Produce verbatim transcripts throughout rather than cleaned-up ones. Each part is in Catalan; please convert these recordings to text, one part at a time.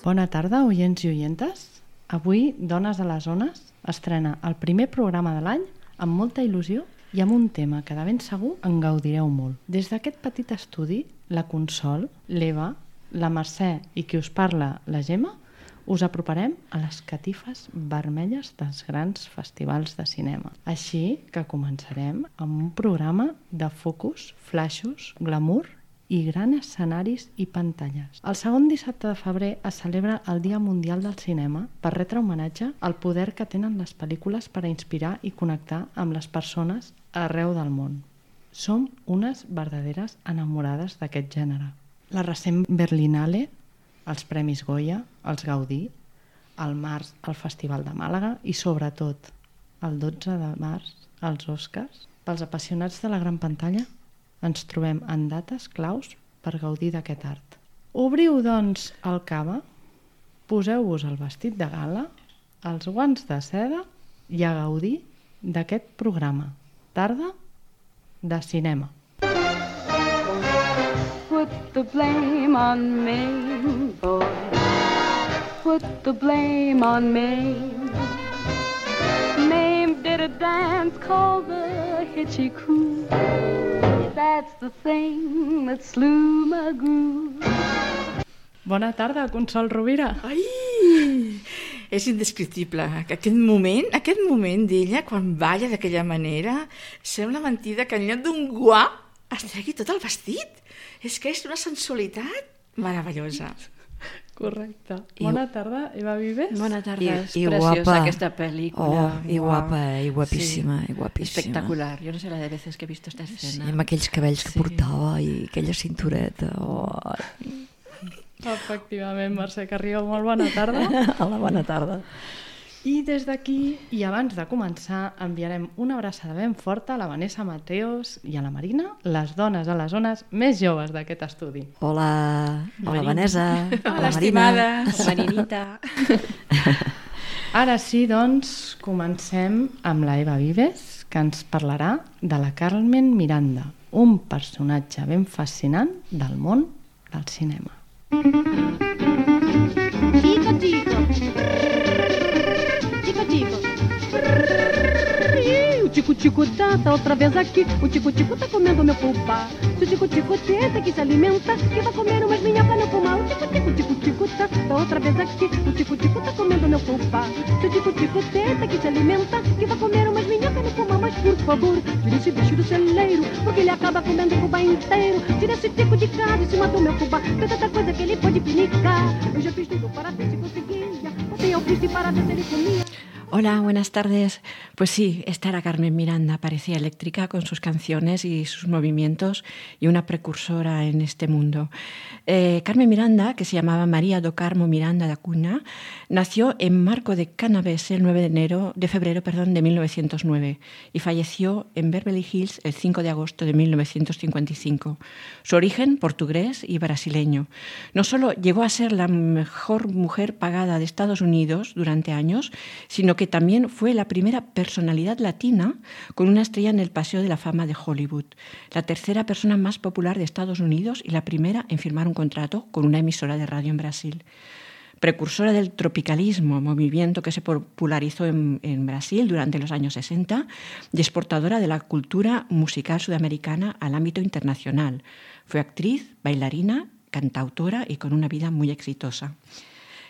Bona tarda, oients i oientes. Avui, Dones a les Ones estrena el primer programa de l'any amb molta il·lusió i amb un tema que de ben segur en gaudireu molt. Des d'aquest petit estudi, la Consol, l'Eva, la Mercè i qui us parla, la Gemma, us aproparem a les catifes vermelles dels grans festivals de cinema. Així que començarem amb un programa de focus, flaixos, glamour i grans escenaris i pantalles. El segon dissabte de febrer es celebra el Dia Mundial del Cinema per retre homenatge al poder que tenen les pel·lícules per a inspirar i connectar amb les persones arreu del món. Som unes verdaderes enamorades d'aquest gènere. La recent Berlinale, els Premis Goya, els Gaudí, al març el Festival de Màlaga i sobretot el dotze de març els Oscars. Pels apassionats de la gran pantalla ens trobem en dates claus per gaudir d'aquest art. Obriu, doncs, el cava, poseu-vos el vestit de gala, els guants de seda i a gaudir d'aquest programa. Tarda de cinema. Put the blame on me, boy. Put the blame on me. Mame did a dance called the Hitchy Coo. That's the thing that slew my groove. Bona tarda, Consol Rovira. Ai, és indescriptible. Aquest moment, aquest moment d'ella, quan balla d'aquella manera, sembla mentida que en lloc d'un guà es tregui tot el vestit. És que és una sensualitat meravellosa. Correcte. Bona tarda, Eva Vives. Bona tarda, I, és i preciosa guapa. aquesta pel·lícula. Oh, i guapa, i guapíssima, Sí. i guapíssima. Espectacular. Yo no sé la de veces que he visto esta Sí, escena. amb aquells cabells que Sí. portava i aquella cintureta. Oh. Efectivament, Mercè Carrió, molt bona tarda. Hola, bona tarda. I des d'aquí, i abans de començar, enviarem una abraçada ben forta a la Vanessa Mateos i a la Marina, les dones a les zones més joves d'aquest estudi. Hola, hola Marina. Vanessa. Hola, estimada. Marinita. Ara sí, doncs, comencem amb la Eva Vives, que ens parlarà de la Carmen Miranda, un personatge ben fascinant del món del cinema. Tico, tico. Tico, tico. O tico-tico tá, tá outra vez aqui. O tico-tico tá comendo meu fubá. Se o tico-tico tenta que se alimenta, que vai comer umas minhocas no fumar. O tico-tico, tico-tico tá, tá outra vez aqui. O tico-tico tá comendo meu fubá. Se o tico-tico tenta que se alimenta, que vai comer umas minhocas no fumar. Mas por favor, tira esse bicho do celeiro, porque ele acaba comendo o fubá inteiro. Tira esse tico de casa em cima do meu fubá. Tem tanta coisa que ele pode pinicar. Eu já fiz tudo para ver se conseguia. Botei ao triste para ver se ele comia. Hola, buenas tardes. Pues sí, esta era Carmen Miranda, parecía eléctrica con sus canciones y sus movimientos y una precursora en este mundo. Eh, Carmen Miranda, que se llamaba María do Carmo Miranda da Cunha, nació en Marco de Canaves el nueve de enero, de febrero perdón, de mil novecientos nueve y falleció en Beverly Hills el cinco de agosto de mil novecientos cincuenta y cinco. Su origen, portugués y brasileño. No solo llegó a ser la mejor mujer pagada de Estados Unidos durante años, sino que también fue la primera personalidad latina con una estrella en el Paseo de la Fama de Hollywood, la tercera persona más popular de Estados Unidos y la primera en firmar un contrato con una emisora de radio en Brasil. Precursora del tropicalismo, movimiento que se popularizó en, en Brasil durante los años sesenta, y exportadora de la cultura musical sudamericana al ámbito internacional. Fue actriz, bailarina, cantautora y con una vida muy exitosa.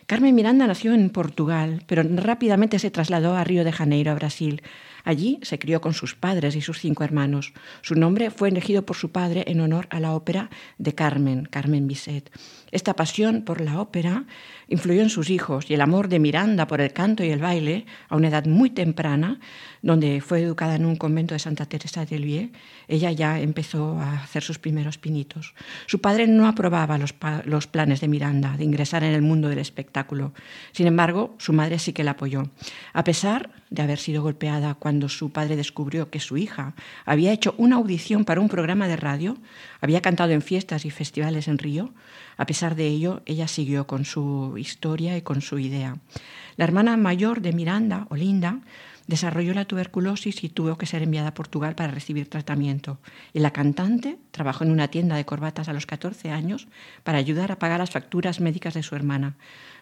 Carmen Miranda nació en Portugal, pero rápidamente se trasladó a Río de Janeiro, a Brasil. Allí se crió con sus padres y sus cinco hermanos. Su nombre fue elegido por su padre en honor a la ópera de Carmen, Carmen Bizet. Esta pasión por la ópera influyó en sus hijos y el amor de Miranda por el canto y el baile, a una edad muy temprana, donde fue educada en un convento de Santa Teresa de Lisieux, ella ya empezó a hacer sus primeros pinitos. Su padre no aprobaba los, pa- los planes de Miranda de ingresar en el mundo del espectáculo. Sin embargo, su madre sí que la apoyó. A pesar de haber sido golpeada cuando su padre descubrió que su hija había hecho una audición para un programa de radio, había cantado en fiestas y festivales en Río, a pesar de ello, ella siguió con su historia y con su idea. La hermana mayor de Miranda, Olinda, Desarrolló la tuberculosis y tuvo que ser enviada a Portugal para recibir tratamiento. Y la cantante trabajó en una tienda de corbatas a los catorce años para ayudar a pagar las facturas médicas de su hermana.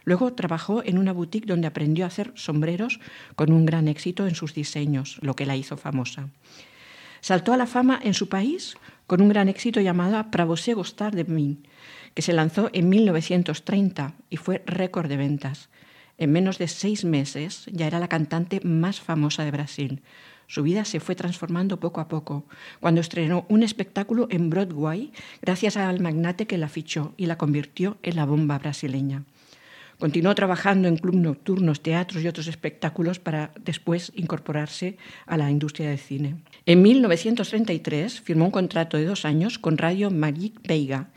Luego trabajó en una boutique donde aprendió a hacer sombreros con un gran éxito en sus diseños, lo que la hizo famosa. Saltó a la fama en su país con un gran éxito llamado Pra você gostar de mim, que se lanzó en mil novecientos treinta y fue récord de ventas. En menos de seis meses ya era la cantante más famosa de Brasil. Su vida se fue transformando poco a poco, cuando estrenó un espectáculo en Broadway gracias al magnate que la fichó y la convirtió en la bomba brasileña. Continuó trabajando en clubes nocturnos, teatros y otros espectáculos para después incorporarse a la industria del cine. En mil novecientos treinta y tres firmó un contrato de dos años con Radio Magic Veiga,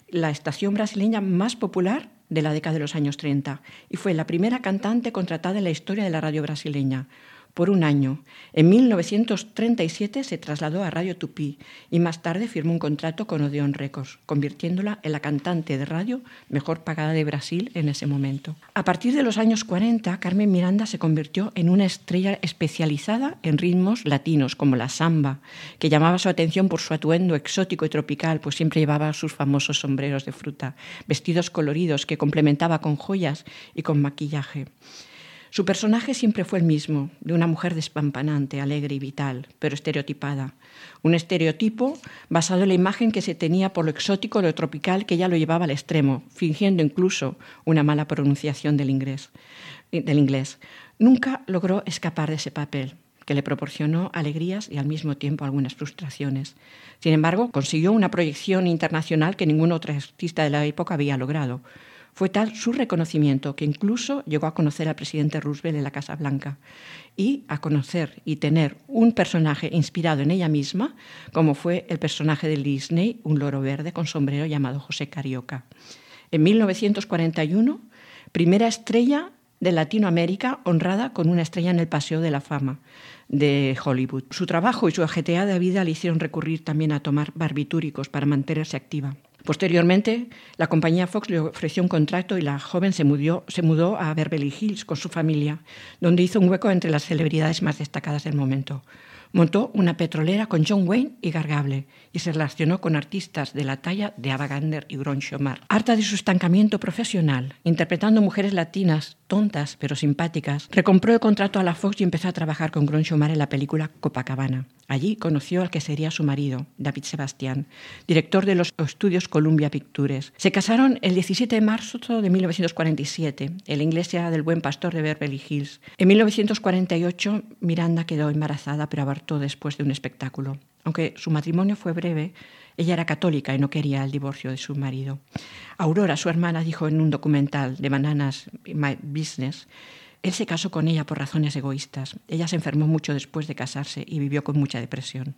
la estación brasileña más popular de la década de los años treinta, y fue la primera cantante contratada en la historia de la radio brasileña. Por un año. En mil novecientos treinta y siete se trasladó a Radio Tupi y más tarde firmó un contrato con Odeon Records, convirtiéndola en la cantante de radio mejor pagada de Brasil en ese momento. A partir de los años cuarenta, Carmen Miranda se convirtió en una estrella especializada en ritmos latinos, como la samba, que llamaba su atención por su atuendo exótico y tropical, pues siempre llevaba sus famosos sombreros de fruta, vestidos coloridos que complementaba con joyas y con maquillaje. Su personaje siempre fue el mismo, de una mujer despampanante, alegre y vital, pero estereotipada. Un estereotipo basado en la imagen que se tenía por lo exótico y lo tropical que ella lo llevaba al extremo, fingiendo incluso una mala pronunciación del inglés. Del inglés. Nunca logró escapar de ese papel, que le proporcionó alegrías y al mismo tiempo algunas frustraciones. Sin embargo, consiguió una proyección internacional que ningún otro artista de la época había logrado. Fue tal su reconocimiento que incluso llegó a conocer al presidente Roosevelt en la Casa Blanca y a conocer y tener un personaje inspirado en ella misma, como fue el personaje de Disney, un loro verde con sombrero llamado José Carioca. En mil novecientos cuarenta y uno, primera estrella de Latinoamérica honrada con una estrella en el Paseo de la Fama de Hollywood. Su trabajo y su ajetreada vida le hicieron recurrir también a tomar barbitúricos para mantenerse activa. Posteriormente, la compañía Fox le ofreció un contrato y la joven se mudó, se mudó a Beverly Hills con su familia, donde hizo un hueco entre las celebridades más destacadas del momento. Montó una petrolera con John Wayne y Gargable y se relacionó con artistas de la talla de Ava Gardner y Groucho Marx. Harta de su estancamiento profesional, interpretando mujeres latinas tontas pero simpáticas, recompró el contrato a la Fox y empezó a trabajar con Groucho Marx en la película Copacabana. Allí conoció al que sería su marido, David Sebastián, director de los estudios Columbia Pictures. Se casaron el diecisiete de marzo de mil novecientos cuarenta y siete en la iglesia del Buen Pastor de Beverly Hills. En mil novecientos cuarenta y ocho, Miranda quedó embarazada, pero abortó después de un espectáculo. Aunque su matrimonio fue breve, ella era católica y no quería el divorcio de su marido. Aurora, su hermana, dijo en un documental de Bananas My Business, él se casó con ella por razones egoístas. Ella se enfermó mucho después de casarse y vivió con mucha depresión.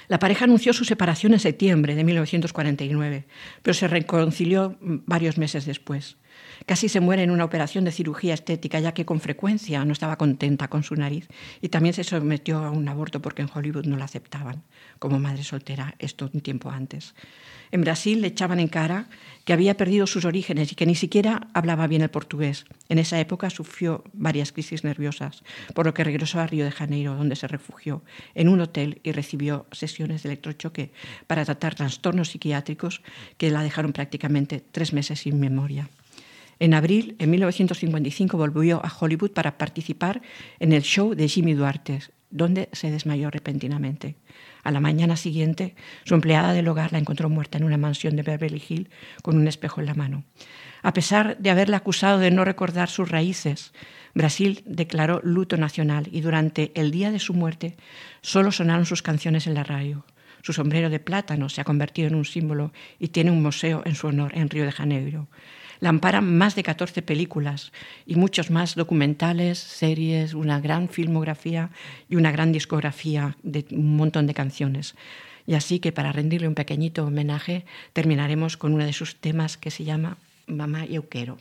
La pareja anunció su separación en septiembre de mil novecientos cuarenta y nueve, pero se reconcilió varios meses después. Casi se muere en una operación de cirugía estética, ya que con frecuencia no estaba contenta con su nariz y también se sometió a un aborto porque en Hollywood no la aceptaban como madre soltera, esto un tiempo antes. En Brasil le echaban en cara que había perdido sus orígenes y que ni siquiera hablaba bien el portugués. En esa época sufrió varias crisis nerviosas, por lo que regresó a Río de Janeiro, donde se refugió en un hotel y recibió sesiones de electrochoque para tratar trastornos psiquiátricos que la dejaron prácticamente tres meses sin memoria. En abril, en mil novecientos cincuenta y cinco, volvió a Hollywood para participar en el show de Jimmy Duarte, donde se desmayó repentinamente. A la mañana siguiente, su empleada del hogar la encontró muerta en una mansión de Beverly Hills con un espejo en la mano. A pesar de haberla acusado de no recordar sus raíces, Brasil declaró luto nacional y durante el día de su muerte solo sonaron sus canciones en la radio. Su sombrero de plátano se ha convertido en un símbolo y tiene un museo en su honor en Río de Janeiro. La amparan más de catorce películas y muchos más documentales, series, una gran filmografía y una gran discografía de un montón de canciones. Y así que para rendirle un pequeñito homenaje terminaremos con uno de sus temas que se llama Mamá Eu Quero.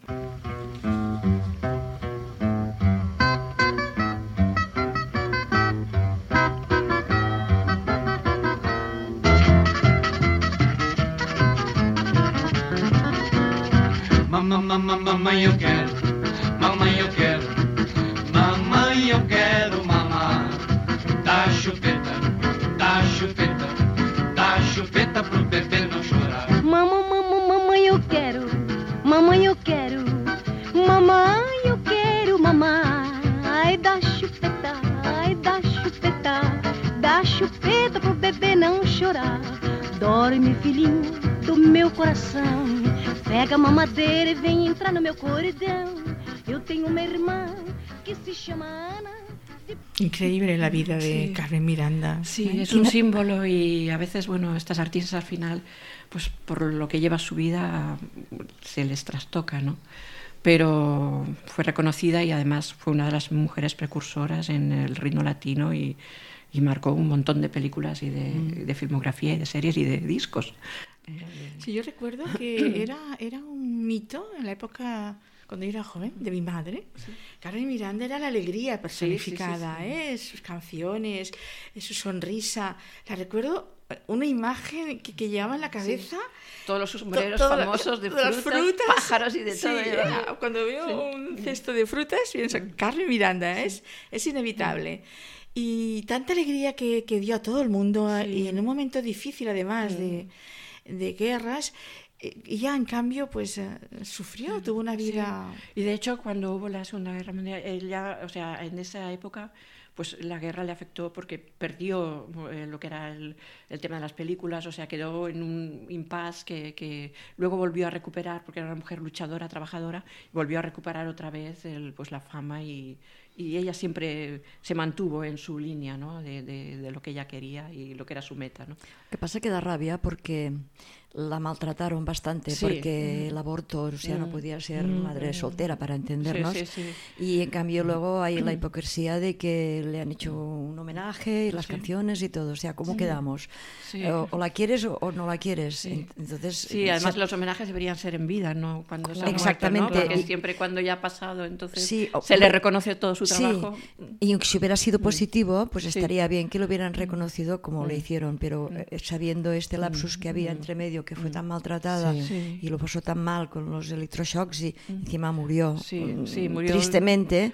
Mamma, mamma, mamma, eu quero, mamãe, eu quero, mamãe, eu quero. chupeta pro bebê não chorar. Mamãe, mamãe, mamãe, eu quero. Mamãe, eu quero. Mamãe, eu quero, mamãe. Ai, dá chupeta, ai, dá chupeta. Dá chupeta pro bebê não chorar. Dorme, filhinho do meu coração. Pega a mamadeira e vem entrar no meu corredão. Eu tenho uma irmã que se chama Ana. Increíble la vida de Sí. Carmen Miranda. Sí, es un símbolo y a veces, bueno, estas artistas al final, pues por lo que lleva su vida, se les trastoca, ¿no? Pero fue reconocida y además fue una de las mujeres precursoras en el ritmo latino y, y marcó un montón de películas y de, mm. de filmografía y de series y de discos. Sí, yo recuerdo que era, era un mito en la época... Cuando yo era joven, de mi madre, sí. Carmen Miranda era la alegría personificada, sí, sí, sí, sí. ¿eh? Sus canciones, su sonrisa. La recuerdo una imagen que, que llevaba en la cabeza. Sí. Todos los sombreros to, famosos de frutas, frutas, pájaros y de sí, todo. Era, cuando veo sí. un cesto de frutas, pienso, Carmen Miranda, sí. es, es inevitable. Y tanta alegría que, que dio a todo el mundo, sí. y en un momento difícil además sí. de, de guerras. Y ya en cambio pues uh, sufrió, tuvo una vida... Sí. Y de hecho cuando hubo la Segunda Guerra Mundial, ella, o sea, en esa época pues la guerra le afectó porque perdió eh, lo que era el, el tema de las películas, o sea, quedó en un impasse que, que luego volvió a recuperar porque era una mujer luchadora, trabajadora, volvió a recuperar otra vez el, pues la fama y, y ella siempre se mantuvo en su línea, ¿no? de, de, de lo que ella quería y lo que era su meta, ¿no? Lo que pasa que da rabia porque la maltrataron bastante, sí. porque mm. el aborto, o sea, mm. no podía ser mm. madre soltera, para entendernos. Sí, sí, sí. Y en cambio luego hay la hipocresía de que le han hecho un homenaje y las sí. canciones y todo. O sea, ¿cómo sí. quedamos? Sí. O, o la quieres o, o no la quieres. Sí, Entonces, sí además se... los homenajes deberían ser en vida, ¿no? Cuando se ha Exactamente. muerto, ¿no? Porque y... siempre cuando ya ha pasado, entonces sí, o... se le reconoce todo su trabajo. Sí. Y si hubiera sido positivo, pues sí. estaría bien que lo hubieran reconocido como mm. lo hicieron, pero eh, sabiendo este lapsus que había entre medio, que fue tan maltratada sí. Sí. y lo pasó tan mal con los electroshocks y mm. encima murió, sí, sí, murió tristemente,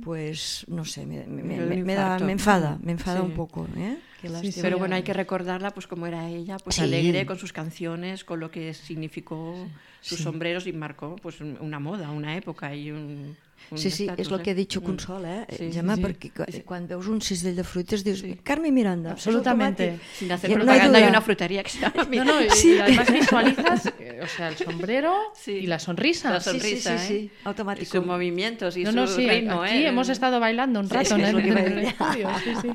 pues no sé, me, me, me, me, da, me enfada, me enfada sí. un poco, ¿eh? Sí, sí, pero bueno, hay que recordarla pues como era ella, pues sí. alegre con sus canciones, con lo que significó sí. sus sí. sombreros y marcó pues una moda, una época y un... Sí, sí, és el que ha dit Consol, eh, sí, Gemma, sí, perquè sí. quan veus un cistell de fruites dius, sí. Carmen Miranda, absolutamente. Sin hacer propaganda no hay, hay una frutería que se llama No, no, y, sí. y además visualizas, o sea, el sombrero sí. y la sonrisa. La sonrisa, sí, sí, sí, ¿eh? sí. automático. Y sus movimientos y no, su no, sí, ritmo, aquí ¿eh? hemos estado bailando un rato, sí, ¿no? Es lo que en en el estudio, sí, sí.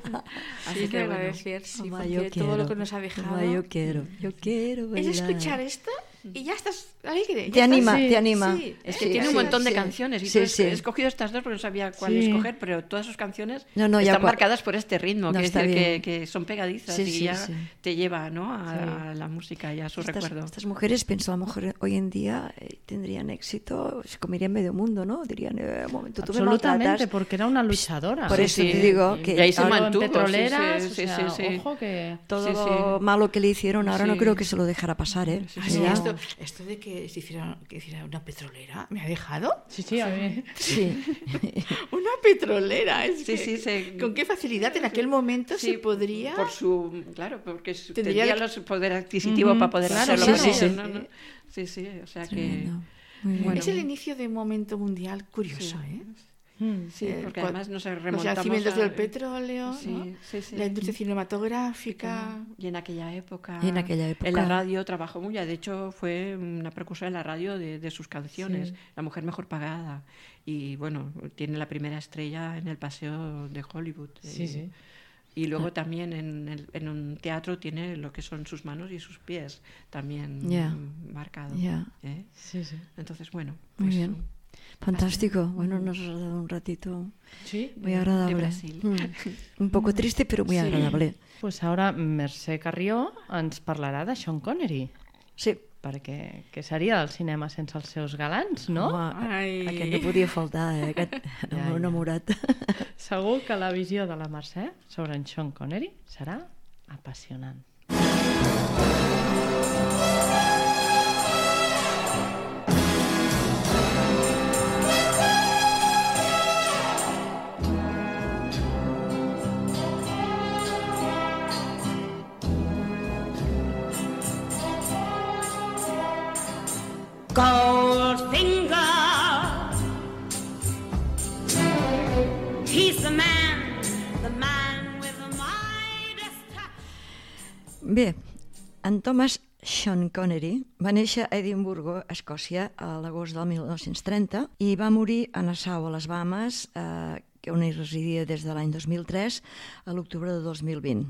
Así sí, que agradecer, sí, Mamá, porque yo todo quiero. lo que nos ha dejado... Mamá, yo quiero, yo quiero bailar. Es escuchar esto y ya estás alegre. Ya te, estás, anima, sí, te anima, sí, Es que sí, tiene sí, un montón sí, de canciones y sí, sí. sí. he escogido estas dos porque no sabía cuál sí. escoger, pero todas sus canciones no, no, están cua... marcadas por este ritmo, no, que, decir, que, que son pegadizas sí, y sí, ya sí. te lleva, ¿no? a, sí. a la música y a su estas, recuerdo. Estas mujeres, pienso, a lo mejor hoy en día eh, tendrían éxito, se comerían medio mundo, ¿no? Dirían, eh, un momento, tú me absolutamente, porque era una luchadora. Por sí, eso sí. te digo que y ahí se mantuvo, en petroleras, sí, sí, o sea, sí, sí. ojo que... todo sí, lo sí. malo que le hicieron, ahora sí. no creo que se lo dejara pasar, ¿eh? Sí, sí, esto, esto de que se hiciera, que hiciera una petrolera, ¿me ha dejado? Sí, sí, a mí. Sí. Una petrolera, es Sí, que, sí, sí. ¿con qué facilidad en aquel momento sí, se podría? Por su, claro, porque su, Tendría tendría que... el poder adquisitivo uh-huh. para poder claro, hacerlo. sí, sí, sí. No, no. sí, sí, o sea Tremendo. que... Bueno. Es el inicio de un momento mundial curioso, sí. ¿eh? Sí, porque además nos remontamos los yacimientos a... del petróleo, sí, ¿no? sí, sí. La industria cinematográfica. Y en aquella época, y en aquella época en la radio trabajó muy, de hecho fue una precursora en la radio de, de sus canciones, sí. la mujer mejor pagada. Y bueno, tiene la primera estrella en el Paseo de Hollywood. Sí, y, sí. Y luego también en, el, en un teatro tiene lo que son sus manos y sus pies también yeah. marcado. Yeah. ¿eh? Sí, sí. Entonces, bueno. Muy pues, bien. Fantástico. Bueno, nos has dado un ratito sí, muy agradable. De Brasil. Mm. Un poco triste, pero muy sí. agradable. Pues ahora Mercè Carrió ens parlarà de Sean Connery. Sí. Perquè què seria del cinema sense els seus galants, no? Home, Ai. aquest no podia faltar, eh? Aquest Ja, ja, ja. enamorat. Segur que la visió de la Mercè sobre en Sean Connery serà apassionant. Goldfinger, he's the man, the man with the Midas touch. Bé, en Thomas Sean Connery va néixer a Edimburgo, Escòcia, a l'agost del mil nou-cents trenta i va morir a Nassau, a les Bahames, eh, on hi residia des de l'any dos mil tres a l'octubre de dos mil vint,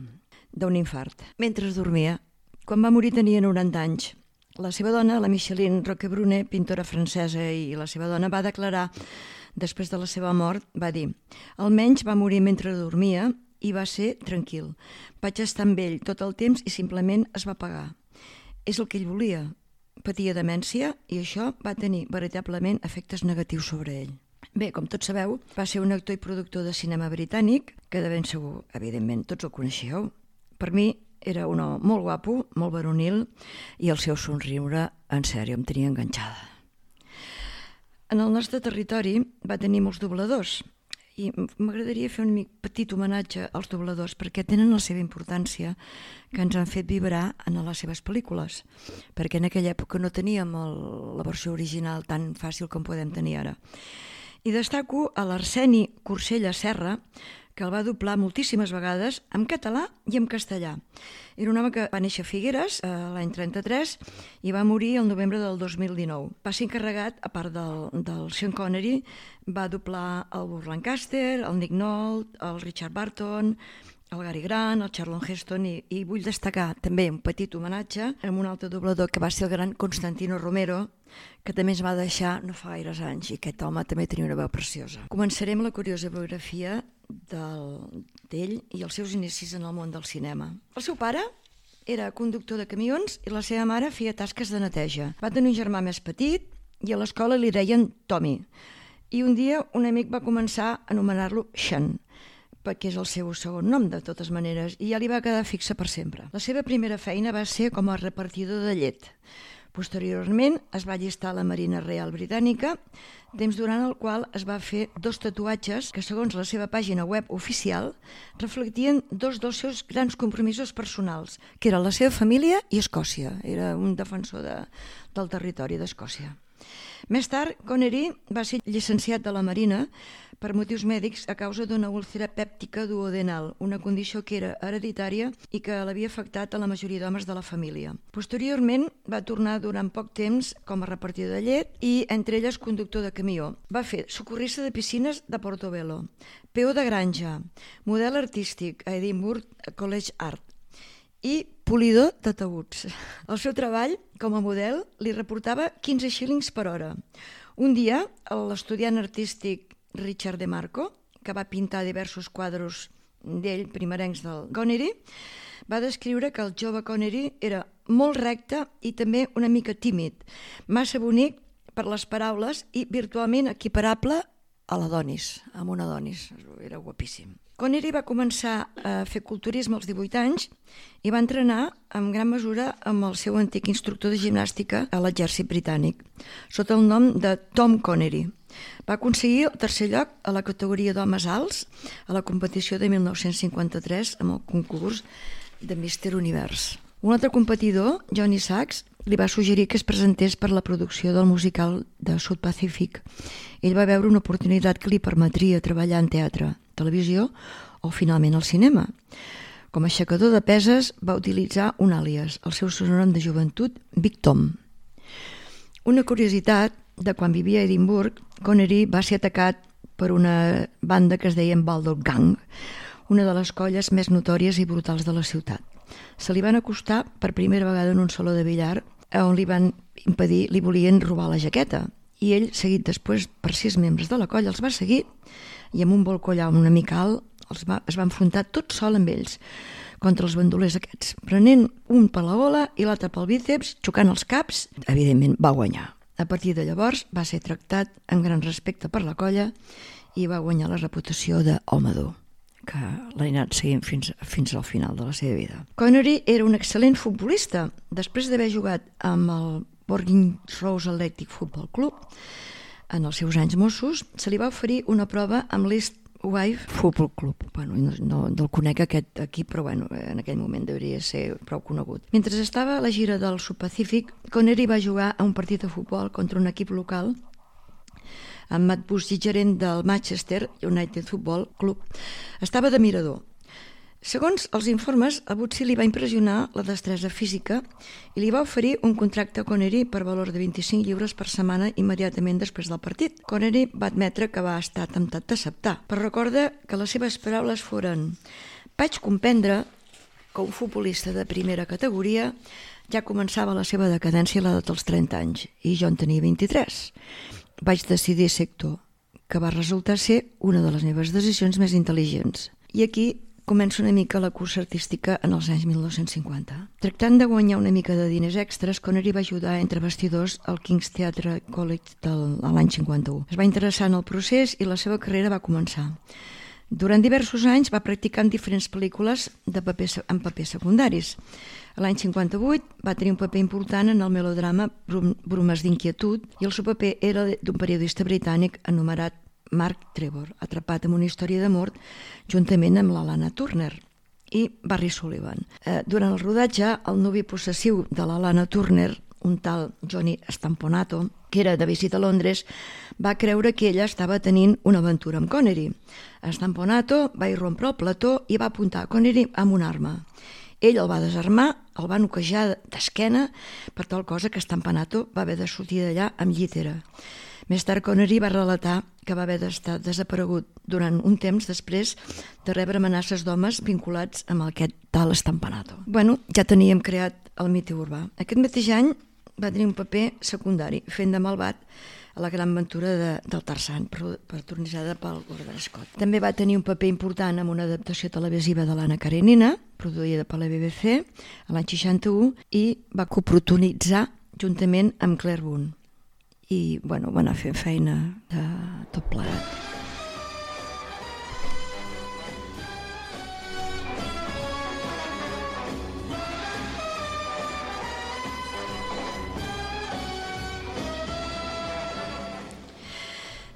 d'un infart. Mentre dormia, quan va morir tenia noranta anys. La seva dona, la Micheline Roquebrune, pintora francesa, i la seva dona va declarar, després de la seva mort, va dir: almenys va morir mentre dormia i va ser tranquil. Vaig estar amb ell tot el temps i simplement es va apagar. És el que ell volia. Patia demència i això va tenir veritablement efectes negatius sobre ell. Bé, com tots sabeu, va ser un actor i productor de cinema britànic, que de ben segur, evidentment, tots el coneixeu. Per mi era un home molt guapo, molt varonil, i el seu somriure, en sèrio, em tenia enganxada. En el nostre territori va tenir molts dobladors, i m'agradaria fer un petit homenatge als dobladors perquè tenen la seva importància, que ens han fet vibrar en les seves pel·lícules, perquè en aquella època no teníem el, la versió original tan fàcil com podem tenir ara. I destaco a l'Arseni Corsella Serra, que el va doblar moltíssimes vegades en català i en castellà. Era un home que va néixer a Figueres l'any trenta-tres i va morir el novembre del dos mil dinou. Va ser encarregat, a part del, del Sean Connery, va doblar el Burt Lancaster, el Nick Nolte, el Richard Burton, el Gary Grant, el Charlton Heston, i, i vull destacar també un petit homenatge amb un altre doblador que va ser el gran Constantino Romero, que també ens va deixar no fa gaires anys, i aquest home també tenia una veu preciosa. Començarem la curiosa biografia d'ell i els seus inicis en el món del cinema. El seu pare era conductor de camions i la seva mare feia tasques de neteja. Va tenir un germà més petit i a l'escola li deien Tommy. I un dia un amic va començar a anomenar-lo Sean, perquè és el seu segon nom, de totes maneres, i ja li va quedar fixa per sempre. La seva primera feina va ser com a repartidor de llet. Posteriorment es va allistar a la Marina Real Britànica, temps durant el qual es va fer dos tatuatges que, segons la seva pàgina web oficial, reflectien dos dels seus grans compromisos personals, que eren la seva família i Escòcia. Era un defensor de, del territori d'Escòcia. Més tard, Connery va ser llicenciat de la Marina per motius mèdics a causa d'una úlcera pèptica duodenal, una condició que era hereditària i que l'havia afectat a la majoria d'homes de la família. Posteriorment va tornar durant poc temps com a repartidor de llet i, entre elles, conductor de camió. Va fer socorrista de piscines de Portobello, peó de granja, model artístic a Edinburgh College Art i polidor de taüts. El seu treball com a model li reportava quinze xílings per hora. Un dia, l'estudiant artístic Richard De Marco, que va pintar diversos quadros d'ell, primerencs del Connery, va descriure que el jove Connery era molt recte i també una mica tímid, massa bonic per les paraules i virtualment equiparable a l'Adonis, amb un Adonis. Era guapíssim. Connery va començar a fer culturisme als divuit anys i va entrenar en gran mesura amb el seu antic instructor de gimnàstica a l'exèrcit britànic, sota el nom de Tom Connery. Va aconseguir el tercer lloc a la categoria d'homes alts a la competició de mil nou-cents cinquanta-tres amb el concurs de míster Univers. Un altre competidor, Johnny Sachs, li va suggerir que es presentés per la producció del musical de South Pacific. Ell va veure una oportunitat que li permetria treballar en teatre, televisió o finalment al cinema. Com a aixecador de peses va utilitzar un àlies, el seu sobrenom de joventut, Big Tom. Una curiositat de quan vivia a Edimburg, Connery va ser atacat per una banda que es deia Baldock Gang, una de les colles més notòries i brutals de la ciutat. Se li van acostar per primera vegada en un saló de billar on li van impedir, li volien robar la jaqueta. I ell, seguit després per sis membres de la colla, els va seguir i amb un bolcollau una mica alt els va, es va enfrontar tot sol amb ells contra els bandolers aquests, prenent un per la gola i l'altre pel bíceps, xocant els caps. Evidentment va guanyar. A partir de llavors va ser tractat amb gran respecte per la colla i va guanyar la reputació d'home dur, que l'ha anat seguint fins, fins al final de la seva vida. Connery era un excel·lent futbolista. Després d'haver jugat amb el Bournemouth Rose Athletic Football Club en els seus anys mossos, se li va oferir una prova amb l'East Wife Futbol Club. Bueno, no, no, no el conec aquest equip, però bueno, en aquell moment hauria de ser prou conegut. Mentre estava a la gira del Sud Pacífic, Connery va jugar a un partit de futbol contra un equip local amb Matt Busby, gerent del Manchester United Football Club. Estava de mirador. Segons els informes, a Busby li va impressionar la destresa física i li va oferir un contracte a Connery per valor de vint-i-cinc lliures per setmana immediatament després del partit. Connery va admetre que va estar temptat d'acceptar, però recorda que les seves paraules foren: vaig comprendre que un futbolista de primera categoria ja començava la seva decadència a l'edat dels trenta anys i jo en tenia vint-i-tres. Vaig decidir ser actor, que va resultar ser una de les meves decisions més intel·ligents. I aquí comença una mica la cursa artística en els anys mil nou-cents cinquanta. Tractant de guanyar una mica de diners extras, Connery va ajudar entre bastidors al King's Theatre College del, l'any cinquanta-u. Es va interessar en el procés i la seva carrera va començar. Durant diversos anys va practicar en diferents pel·lícules de paper, en papers secundaris. L'any cinquanta-vuit va tenir un paper important en el melodrama Bromes d'inquietud i el seu paper era d'un periodista britànic anomenat Mark Trevor, atrapat en una història d'amor juntament amb la Lana Turner i Barry Sullivan. Eh, durant el rodatge, el nuvi possessiu de la Lana Turner, un tal Johnny Stamponato, que era de visita a Londres, va creure que ella estava tenint una aventura amb Connery. Stamponato va irrompre el plató i va apuntar a Connery amb una arma. Ell el va desarmar, el va noquejar d'esquena, per tal cosa que Stamponato va haver de sortir d'allà amb llitera. Més tard, Connery va relatar que va haver d'estar desaparegut durant un temps després de rebre amenaces d'homes vinculats amb aquest tal Stamponato. Bueno, ja teníem creat el mite urbà. Aquest mateix any va tenir un paper secundari, fent de malvat a la gran aventura de, del Tarzan, protagonitzada pel Gordon Scott. També va tenir un paper important en una adaptació televisiva de l'Anna Karenina, produïda per la B B C, a l'any seixanta-u, i va coprotagonitzar juntament amb Claire Boone. I, bueno, va anar fent feina de tot plegat.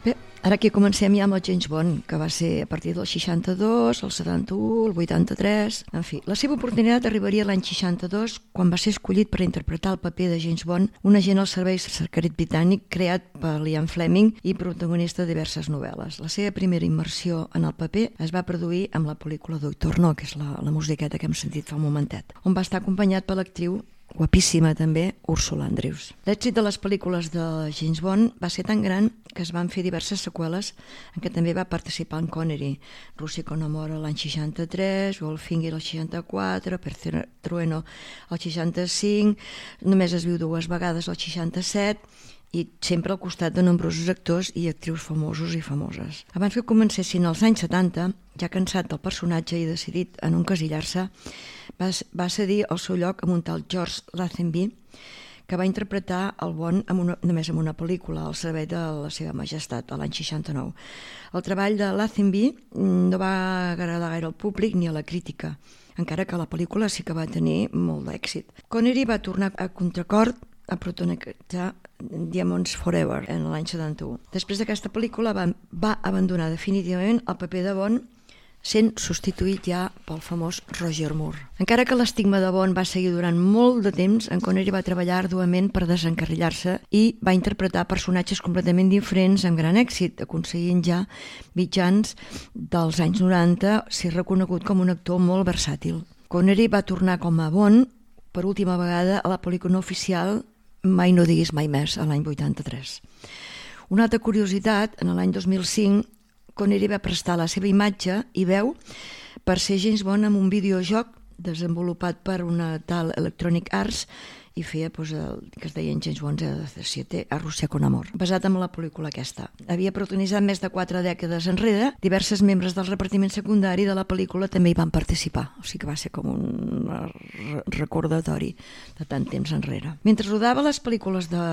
Bé, ara aquí comencem ja amb el James Bond, que va ser a partir del seixanta-dos, el setanta-u, el vuitanta-tres... En fi, la seva oportunitat arribaria l'any seixanta-dos, quan va ser escollit per interpretar el paper de James Bond, un agent al servei secret britànic creat per Ian Fleming i protagonista de diverses novel·les. La seva primera immersió en el paper es va produir amb la pel·lícula Doctor No, que és la, la musiqueta que hem sentit fa un momentet, on va estar acompanyat per l'actriu guapíssima també, Ursula Andrews. L'èxit de les pel·lícules de James Bond va ser tan gran que es van fer diverses seqüeles en què també va participar en Connery. Rússia con amor l'any seixanta-tres, Goldfinger el seixanta-quatre, Per Trueno el seixanta-cinc, Només es viu dues vegades el seixanta-set, i sempre al costat de nombrosos actors i actrius famosos i famoses. Abans que comencessin els anys setanta, ja cansat del personatge i decidit a no encasillar-se, va, va cedir el seu lloc amb un tal George Lazenby, que va interpretar el Bond amb una, només en una pel·lícula, al servei de la seva majestat, a l'any seixanta-nou. El treball de Lazenby no va agradar gaire al públic ni a la crítica, encara que la pel·lícula sí que va tenir molt d'èxit. Connery va tornar a contracor a protagonitzar Diamonds Forever en l'any setanta-u. Després d'aquesta pel·lícula va, va abandonar definitivament el paper de Bond, sent substituït ja pel famós Roger Moore. Encara que l'estigma de Bond va seguir durant molt de temps, en Connery va treballar arduament per desencarrilar-se i va interpretar personatges completament diferents amb gran èxit, aconseguint ja mitjans dels anys noranta ser reconegut com un actor molt versàtil. Connery va tornar com a Bond per última vegada a la pel·lícula oficial Mai no diguis mai més, a l'any vuitanta-tres. Una altra curiositat, en l'any dos mil cinc, Connery va prestar la seva imatge i veu per ser James Bond en un videojoc desenvolupat per una tal Electronic Arts i feia pues, el que es deia James Bond zero zero siete a Rússia con amor, basat en la pel·lícula aquesta. Havia protagonitzat més de quatre dècades enrere, diversos membres del repartiment secundari de la pel·lícula també hi van participar, o sigui que va ser com un recordatori de tant temps enrere. Mentre rodava les pel·lícules de,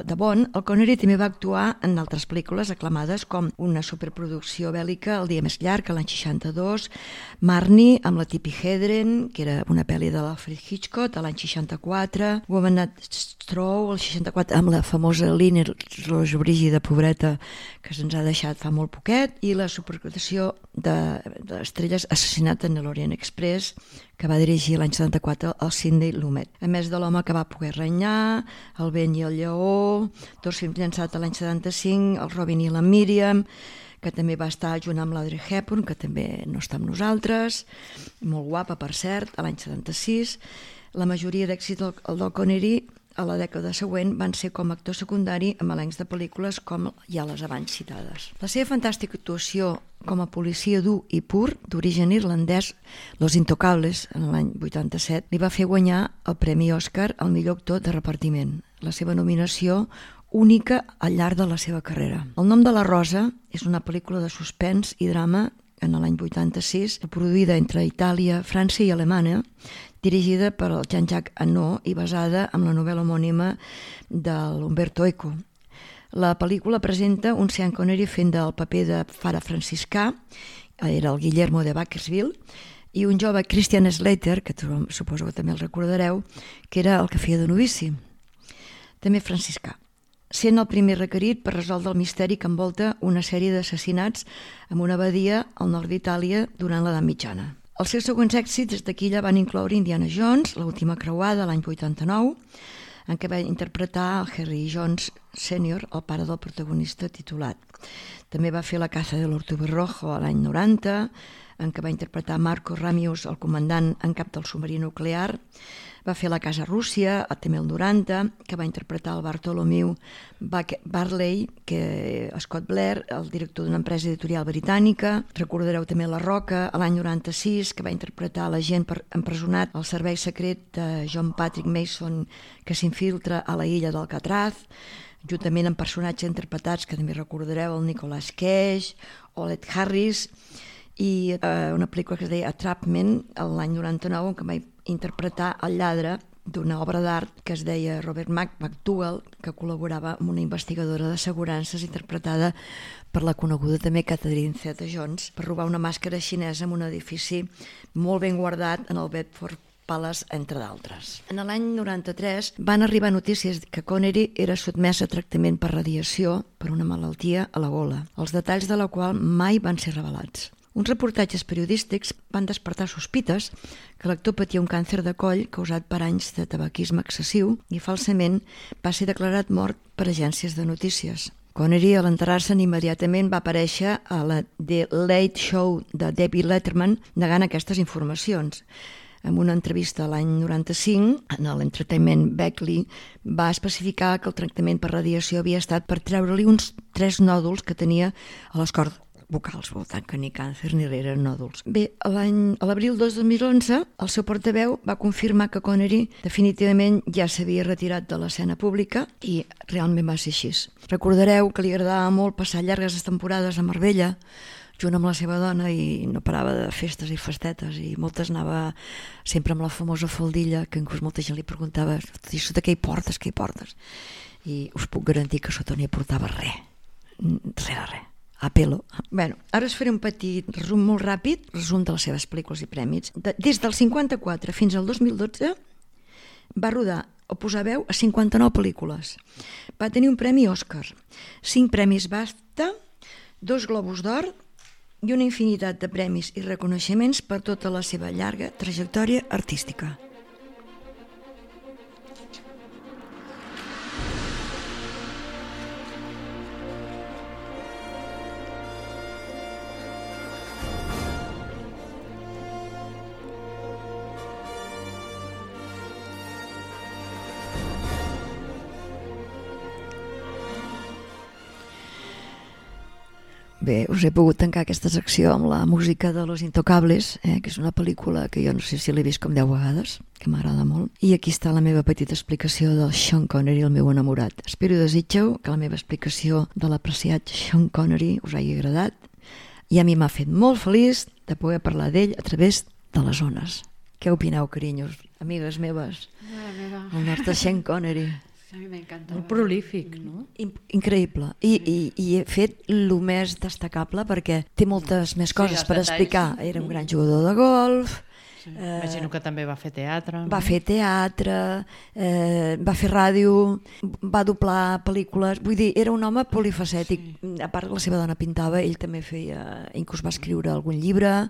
de Bond, el Connery també va actuar en altres pel·lícules aclamades com una superproducció bèl·lica El dia més llarg, l'any seixanta-dos, Marnie, amb la Tippi Hedren, que era una pel·li de l'Alfred Hitchcock, a l'any seixanta-quatre, Woman at Stroh, el seixanta-quatre, amb la famosa Lynn Rojo Brígida, pobreta, que se'ns ha deixat fa molt poquet, i la supercotació d'Estrelles de, Assassinat en l'Orient Express, que va dirigir l'any setanta-quatre el Sidney Lumet. A més de L'home que va poder renyar, El vent i el lleó, dos films llançats l'any setanta-cinc, El Robin i la Míriam, que també va estar junt amb l'Audrey Hepburn, que també no està amb nosaltres, molt guapa, per cert, a l'any setanta-sis. La majoria d'èxits del, del Connery a la dècada següent van ser com a actor secundari amb elencs de pel·lícules com ja les abans citades. La seva fantàstica actuació com a policia dur i pur, d'origen irlandès, Los Intocables, en l'any vuitanta-set, li va fer guanyar el Premi Òscar al millor actor de repartiment. La seva nominació única al llarg de la seva carrera. El nom de la Rosa és una pel·lícula de suspens i drama en l'any vuitanta-sis, produïda entre Itàlia, França i Alemanya, dirigida per Jean-Jacques Annaud i basada en la novel·la homònima de l'Umberto Eco. La pel·lícula presenta un Sean Connery fent del paper de pare franciscà, era el Guillermo de Bakersfield, i un jove Christian Slater, que suposo que també el recordareu, que era el que feia de novici, també franciscà, sent el primer requerit per resoldre el misteri que envolta una sèrie d'assassinats en una abadia al nord d'Itàlia durant l'edat mitjana. Els seus següents èxits des d'aquella van incloure Indiana Jones, l'última creuada l'any vuitanta-nou, en què va interpretar el Harry Jones sènior, el pare del protagonista titulat. També va fer La caza de l'Ortuber Rojo a l'any noranta, en què va interpretar Marco Ramius, el comandant en cap del submarí nuclear. Va fer La casa Rússia, també el noranta, que va interpretar el Bartholomew Barley, que Scott Blair, el director d'una empresa editorial britànica. Recordareu també La Roca, a l'any noranta-sis, que va interpretar l'agent empresonat al servei secret de John Patrick Mason, que s'infiltra a la illa d'Alcatraz, juntament amb personatges interpretats que també recordareu, el Nicolas Cage o l'Ed Harris, i eh, una pel·lícula que es deia Entrapment, l'any noranta-nou, en què va interpretar el lladre d'una obra d'art que es deia Robert McDougall, que col·laborava amb una investigadora d'assegurances interpretada per la coneguda també Catherine Zeta-Jones, per robar una màscara xinesa en un edifici molt ben guardat en el Bedford Palace, entre d'altres. En l'any noranta-tres van arribar notícies que Connery era sotmès a tractament per radiació per una malaltia a la gola, els detalls de la qual mai van ser revelats. Uns reportatges periodístics van despertar sospites que l'actor patia un càncer de coll causat per anys de tabaquisme excessiu i falsament va ser declarat mort per agències de notícies. Connery, a l'enterrar-se immediatament, va aparèixer a la The Late Show de David Letterman negant aquestes informacions. En una entrevista l'any noranta-cinc, en l'Entertainment Weekly, va especificar que el tractament per radiació havia estat per treure-li uns tres nòduls que tenia a les cordes vocals, per tant que ni càncer ni eren nòduls. Bé, a l'abril de dos mil onze, el seu portaveu va confirmar que Connery definitivament ja s'havia retirat de l'escena pública i realment va ser així. Recordareu que li agradava molt passar llargues temporades a Marbella, junt amb la seva dona, i no parava de festes i festetes, i moltes anava sempre amb la famosa faldilla, que inclús molta gent li preguntava, i sota què hi portes, què hi portes? I us puc garantir que sota no hi portava res, res de res. A pelo. Bueno, ara us faré un petit resum molt ràpid, resum de les seves pel·lícules i prèmits. De, des del cinquanta-quatre fins al dos mil dotze va rodar o posar veu a cinquanta-nou pel·lícules. Va tenir un premi Òscar, cinc premis BAFTA, dos Globus d'Or i una infinitat de premis i reconeixements per tota la seva llarga trajectòria artística. Bé, us he pogut tancar aquesta secció amb la música de Los Intocables, eh, que és una pel·lícula que jo no sé si l'he vist com deu vegades, que m'agrada molt. I aquí està la meva petita explicació del Sean Connery, el meu enamorat. Espero i desitgeu que la meva explicació de l'apreciat Sean Connery us hagi agradat, i a mi m'ha fet molt feliç de poder parlar d'ell a través de les ones. Què opineu, carinyos, amigues meves? El nostre Sean Connery. A mi m'encanta. Molt prolífic, no? Increïble. I, i, i he fet el més destacable perquè té moltes més coses sí, per detalls. explicar. Era un gran jugador de golf, Sí. Eh, Imagino que també va fer teatre. Va no? fer teatre, eh, va fer ràdio, va doblar pel·lícules, vull dir, era un home polifacètic. Sí. A part, la seva dona pintava, ell també feia, inclús va escriure algun llibre,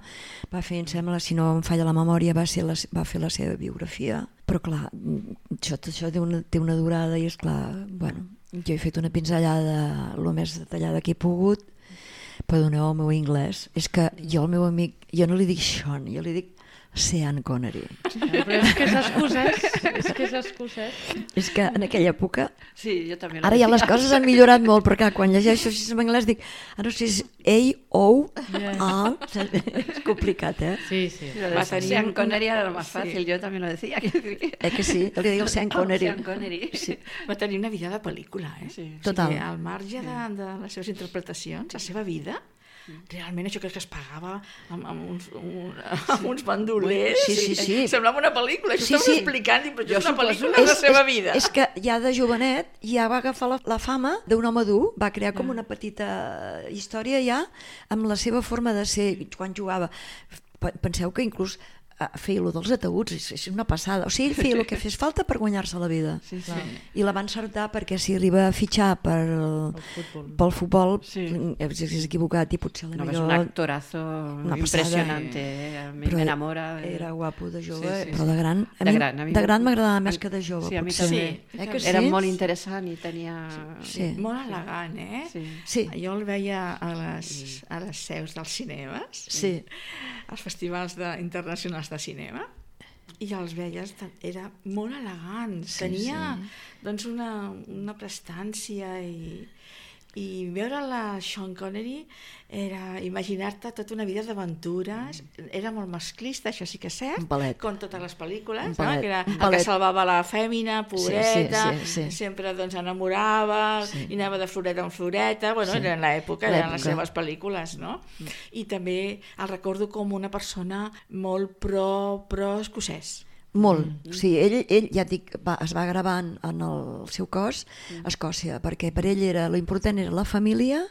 va fer, em sembla, si no em falla la memòria, va, ser la, va fer la seva biografia. Però clar, això, això té, una, té una durada i és clar, bueno, jo he fet una pinzellada el més detallada que he pogut. Perdoneu el meu anglès, és que jo al meu amic, jo no li dic Sean, jo li dic Sean Connery. Sí, però és que és excusès, és que és excusès. És que en aquella època... Sí, jo també. Ara ja les coses han millorat molt, perquè quan llegeixo així en anglès dic, ah, no sé si és A, O, A... És complicat, eh? Sí, sí. Va tenir Sean Connery era lo más fácil, yo también lo decía. Eh que sí? Jo li dic el Sean Connery. Sean Connery. Sí. Va tenir una vida de pel·lícula, eh? Sí. Total. O sigui, al marge de, de les seves interpretacions, la seva vida... Realment això crec que es pagava amb, amb, uns, un, amb uns bandolers. Sí, sí, sí. Semblava una pel·lícula. Això Sí, estàvem sí. explicant, i, però Jo això és una suposo- pel·lícula de la És- seva és- vida. És que ja de jovenet ja va agafar la, la fama d'un home dur, va crear com una petita història ja amb la seva forma de ser quan jugava. P- Penseu que inclús eh, feia allò dels ataúds, és, és una passada. O sigui, ell feia el que fes falta per guanyar-se la vida. Sí, sí. I la va encertar perquè si arriba a fitxar per, futbol. pel futbol, Sí. és, és equivocat i potser la No, es millor... un actorazo Una impresionante, eh? A mí Però me enamora. Era guapo de jove, Sí, sí, però sí. de gran, a De mi, gran, a mi de gran me- m'agradava més que de jove. Sí, a mi potser. també. Eh que sí? Era molt interessant i tenia... Sí. Molt elegant, eh? Sí. Sí. Jo el veia a les, a les seus dels cinemes, Sí. als festivals de, internacionals de cinema, i els veies, era molt elegant, Sí, tenia sí. doncs una, una prestància i, i veure la Sean Connery era imaginar-te tota una vida d'aventures, era molt masclista, això sí que és cert, Un palet. com totes les pel·lícules, Un no? palet, Que era un el palet. que salvava la fèmina, pobreta, Sí, sí, sí, sí. sempre doncs enamorava, Sí. i anava de floreta en floreta, bueno, Sí. era en l'època, eren les L'època. seves pel·lícules, no? I també el recordo com una persona molt pro, pro escocès. Molt. Mm. Sí, ell, ell ja et dic, va, es va gravar en, en el seu cos a Escòcia, perquè per ell era, l'important era la família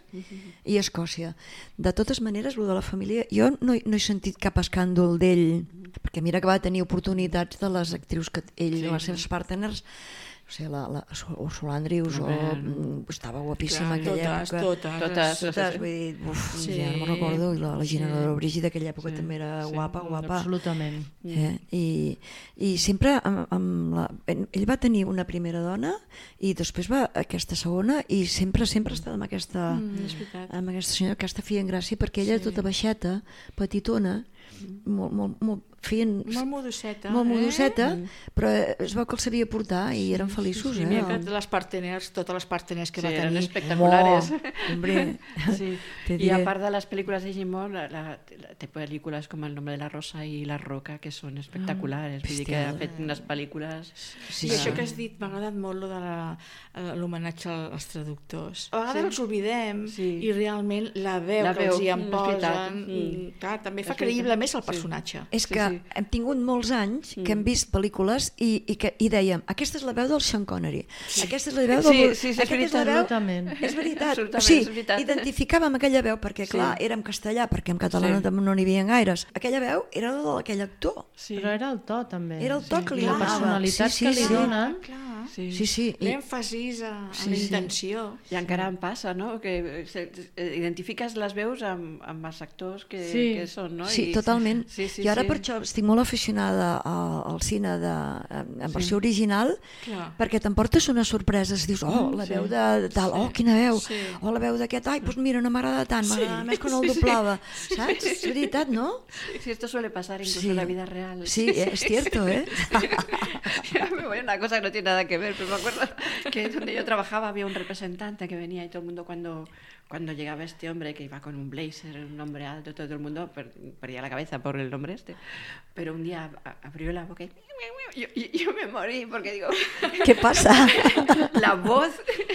i Escòcia. De totes maneres, el de la família, jo no, he- no he sentit cap escàndol d'ell, perquè mira que va tenir oportunitats de les actrius que ell i les seves partners, o sigui, la, la Ursula Andrews, o, mm, estava guapíssima en Clar, aquella totes, època. totes. Totes. Totes, vull dir, uf, Sí. ja no me'n recordo, i la, la Gina Sí. de Brígida d'aquella època Sí. també era Sí. guapa, guapa. Absolutament. Eh? I, i sempre amb, amb la, ell va tenir una primera dona i després va aquesta segona i sempre sempre ha estat amb aquesta, Mm, és veritat. amb aquesta senyora, aquesta feien gràcia perquè ella Sí. tota baixeta, petitona, molt, molt, molt, feien Molt modusseta, molt eh? modusseta, però es veu que el sabia portar i eren feliços. Sí, eh? mira que les parteners, totes les parteners que Sí, va eran tenir, espectaculares. Oh, hombre, Sí. te Y diré. aparte de las películas de Jim Moore, la, la, la, té películas como El nombre de la rosa y La roca, que son espectaculares. Vull dir que ha fet unes pel·lícules... Sí, I sí. això que has dit, m'ha agradat molt lo de la- l'homenatge als traductors. A vegades els oblidem Sí. i realment la veu La que veu, els hi en mm, és veritat. posen, Mm. mm, clar, també fa És veritat. creïble més el Sí. personatge. És Sí, que sí. hem tingut molts anys que hem vist pel·lícules i, i, que, i dèiem, aquesta és la veu del Sean Connery, aquesta és la veu del... Sí, sí, sí, és aquesta és la veu... Absolutament. És veritat. O Absolutament, sigui, és veritat. identificàvem aquella veu, perquè clar, Sí. era en castellà, perquè en català Sí. no, no n'hi havia gaires. Aquella veu era la d'aquell actor. Sí. Però era el to, també. Era el to que li I la donava. personalitat Sí, sí, que li sí. donen. Clar. Sí. Sí, sí. I, L'èmfasis a, a Sí, la sí. intenció. I encara em passa, no?, que se, eh, identifiques les veus amb, amb els actors que, Sí. que són, no? sí, I- totalment. Sí, sí, I ara sí. per això estic molt aficionada al, al cine de, en, en versió original, Clar. perquè t'emportes unes sorpreses, dius, oh, la veu de tal, oh, quina veu, Sí. oh, la veu d'aquest, ai, doncs mira, no m'agrada tant, m'agrada més quan el doblava, saps? És veritat, no? Sí, esto suele pasar incluso Sí. en la vida real. Sí, es cierto, ¿eh? Ya me voy a una cosa que no tiene nada que ver, pero me acuerdo que donde yo trabajaba había un representante que venía y todo el mundo cuando, cuando llegaba este hombre que iba con un blazer, un hombre alto, todo el mundo per- perdía la cabeza por el nombre este, pero un día a- abrió la boca y yo, yo- yo me morí porque digo, ¿Qué pasa? la voz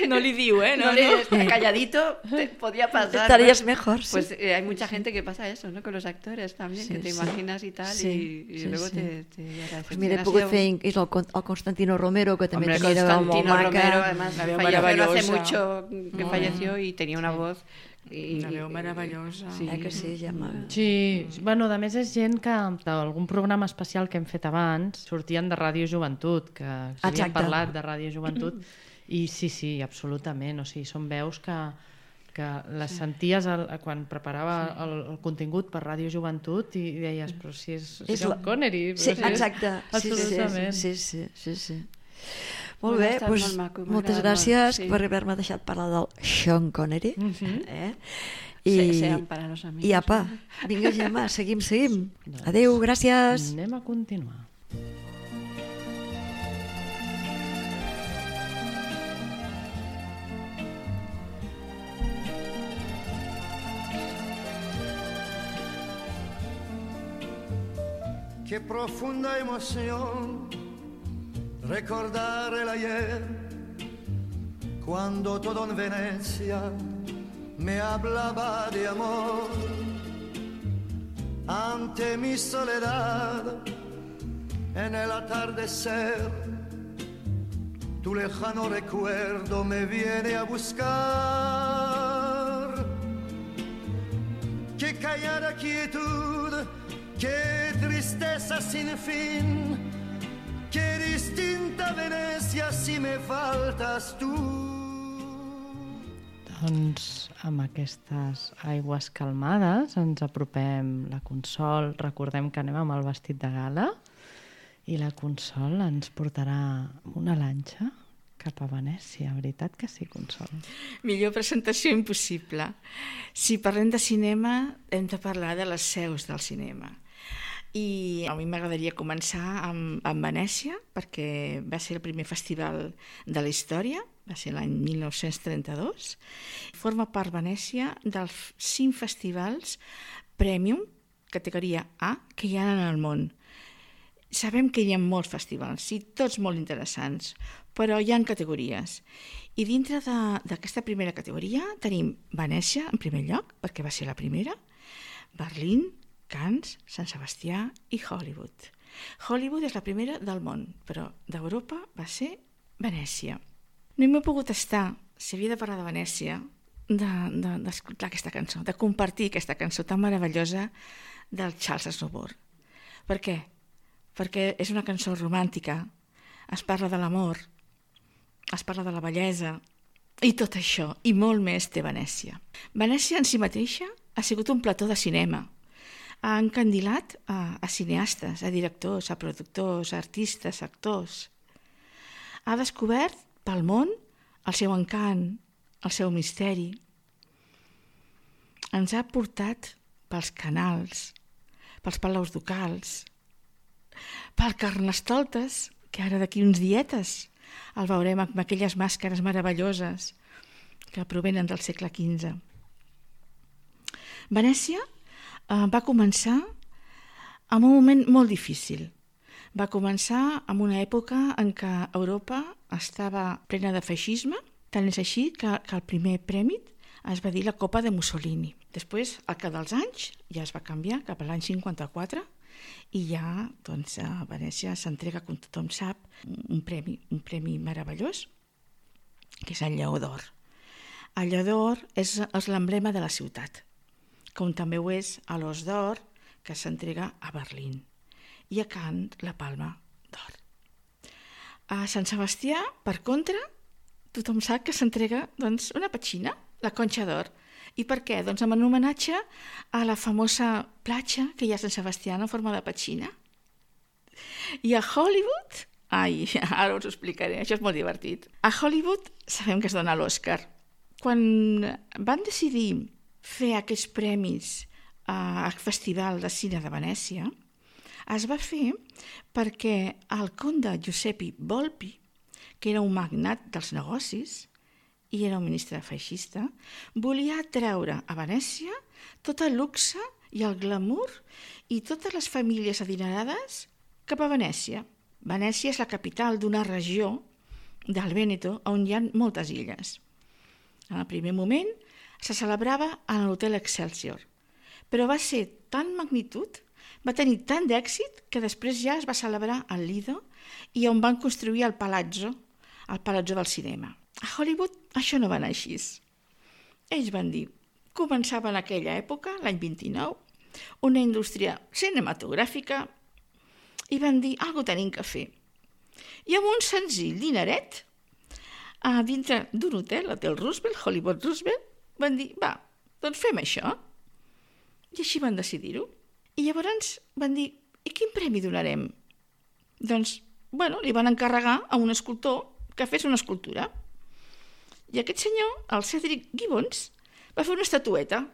No li diu, eh? no, le está calladito, te podía pasar. Estarías ¿no? mejor, sí. Pues eh, hay mucha gente que pasa eso, ¿no? Con los actores también, Sí, que te sí. imaginas y tal, Sí, y, y sí, luego sí. te, te agradeces. Pues mira, he Ha pogut sido- fer és el, Con- el Constantino Romero, que també Hombre, tenia una veu molt Constantino maca. Romero, además, La veu falleció no hace maravillosa. mucho que Mm. falleció y tenía una voz I, Una veu meravellosa. Sí. Eh que sí, Gemma? Sí, bueno, a més és gent que d'algun programa especial que hem fet abans sortien de Ràdio Joventut, que havíem Exacte. parlat de Ràdio Joventut, i sí, sí, absolutament, o sigui, són veus que, que les senties el, quan preparava el, el contingut per Ràdio Joventut i deies, però si és, si és És la- Sean Connery, però Sí, si és... exacte. Sí, sí, Absolutament. sí, sí, sí, sí. Molt Bueno, bé, ha estat doncs, molt maco, m'ha moltes agradat gràcies molt, sí. per haver-me deixat parlar del Sean Connery. Mhm. eh? I... I, Sean para los amigos. I apa, vinga Gemma, seguim, seguim. Adéu, gràcies. Anem a continuar. Qué profunda emoción recordar el ayer, cuando todo en Venecia me hablaba de amor. Ante mi soledad, en el atardecer, tu lejano recuerdo me viene a buscar. Qué callada quietud, qué tristeza sin fin, qué distinta Venecia si me faltas tú. Doncs amb aquestes aigües calmades ens apropem la Consol. Recordem que anem amb el vestit de gala i la Consol ens portarà una lanxa cap a Venècia. Veritat que sí, Consol? Millor presentació impossible. Si parlem de cinema, hem de parlar de les seus del cinema. I a mi m'agradaria començar amb, amb Venècia, perquè va ser el primer festival de la història, va ser l'any mil nou-cents trenta-dos. Forma part Venècia dels cinc festivals Premium, categoria A, que hi ha en el món. Sabem que hi ha molts festivals, i tots molt interessants, però hi ha categories. I dintre d'aquesta primera categoria tenim Venècia, en primer lloc, perquè va ser la primera, Berlín, Cannes, Sant Sebastià i Hollywood. Hollywood és la primera del món, però d'Europa va ser Venècia. No m'he pogut estar, si havia de parlar de Venècia, d'escoltar de, de, aquesta cançó, de compartir aquesta cançó tan meravellosa del Charles Aznavour. Per què? Perquè és una cançó romàntica, es parla de l'amor, es parla de la bellesa, i tot això, i molt més té Venècia. Venècia en si mateixa ha sigut un plató de cinema. Ha encandilat a, a cineastes, a directors, a productors, a artistes, a actors. Ha descobert pel món el seu encant, el seu misteri. Ens ha portat pels canals, pels palaus ducals, pel Carnestoltes, que ara d'aquí uns dietes el veurem amb aquelles màscares meravelloses que provenen del segle quinze. Venècia eh, va començar en un moment molt difícil. Va començar en una època en què Europa estava plena de feixisme, tant és així que, que el primer premi es va dir la Copa de Mussolini. Després, al cap dels anys, ja es va canviar cap a l'any cinquanta-quatre i ja doncs, a Venècia s'entrega, com tothom sap, un premi, un premi meravellós, que és el Lleó d'Or. El Lleó d'Or és, és l'emblema de la ciutat, com també ho és l'Os d'Or, que s'entrega a Berlín, i a Cannes la Palma d'Or. A Sant Sebastià, per contra, tothom sap que s'entrega doncs, una petxina, la Conxa d'Or. I per què? Doncs en homenatge a la famosa platja que hi ha a Sant Sebastià en forma de petxina. I a Hollywood, ai, ara us ho explicaré, això és molt divertit. A Hollywood sabem que es dona l'Oscar. Quan van decidir fer aquests premis al Festival de Cine de Venècia, es va fer perquè el conde Giuseppe Volpi, que era un magnat dels negocis i era un ministre feixista, volia treure a Venècia tot el luxe i el glamour i totes les famílies adinerades cap a Venècia. Venècia és la capital d'una regió del Vèneto on hi ha moltes illes. En el primer moment se celebrava a l'Hotel Excelsior, però va ser tan magnitud, va tenir tant d'èxit que després ja es va celebrar al Lido i on van construir el Palazzo, el Palazzo del Cinema. A Hollywood això no va anar així. Ells van dir, començava en aquella època, l'any vint-i-nou, una indústria cinematogràfica i van dir, algo tenim que fer. I amb un senzill dineret, a dintre d'un hotel, l'Hotel Roosevelt, Hollywood Roosevelt, van dir, va, doncs fem això. I així van decidir-ho. I llavors van dir, i quin premi donarem? Doncs, bueno, li van encarregar a un escultor que fes una escultura. I aquest senyor, el Cedric Gibbons, va fer una estatueta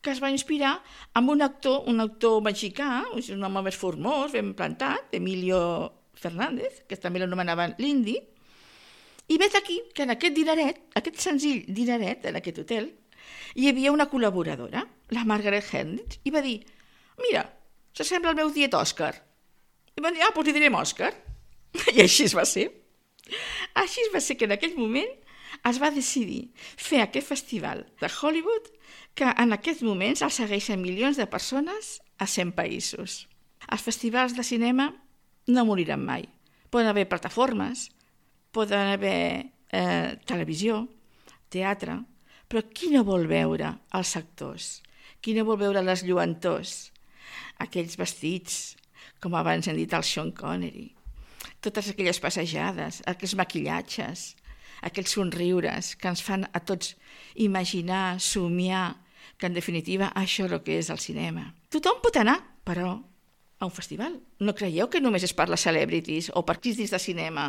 que es va inspirar amb un actor, un actor mexicà, un home més formós, ben plantat, Emilio Fernández, que també l'anomenaven l'Indi, i vet aquí que en aquest dineret, aquest senzill dineret, en aquest hotel, hi havia una col·laboradora, la Margaret Hendricks, i va dir, mira, s'assembla al meu tiet Òscar. I van dir, ah, doncs li direm Òscar. I així es va ser. Així es va ser que en aquell moment es va decidir fer aquest festival de Hollywood que en aquests moments el segueixen milions de persones a cent països. Els festivals de cinema no moriran mai. Poden haver plataformes, poden haver eh, televisió, teatre, però qui no vol veure els actors? Qui no vol veure les lluentors? Aquells vestits, com abans hem dit el Sean Connery, totes aquelles passejades, aquells maquillatges, aquells somriures que ens fan a tots imaginar, somiar, que en definitiva això és el que és el cinema. Tothom pot anar, però, a un festival. No creieu que només és per les celebrities o per crítics de cinema.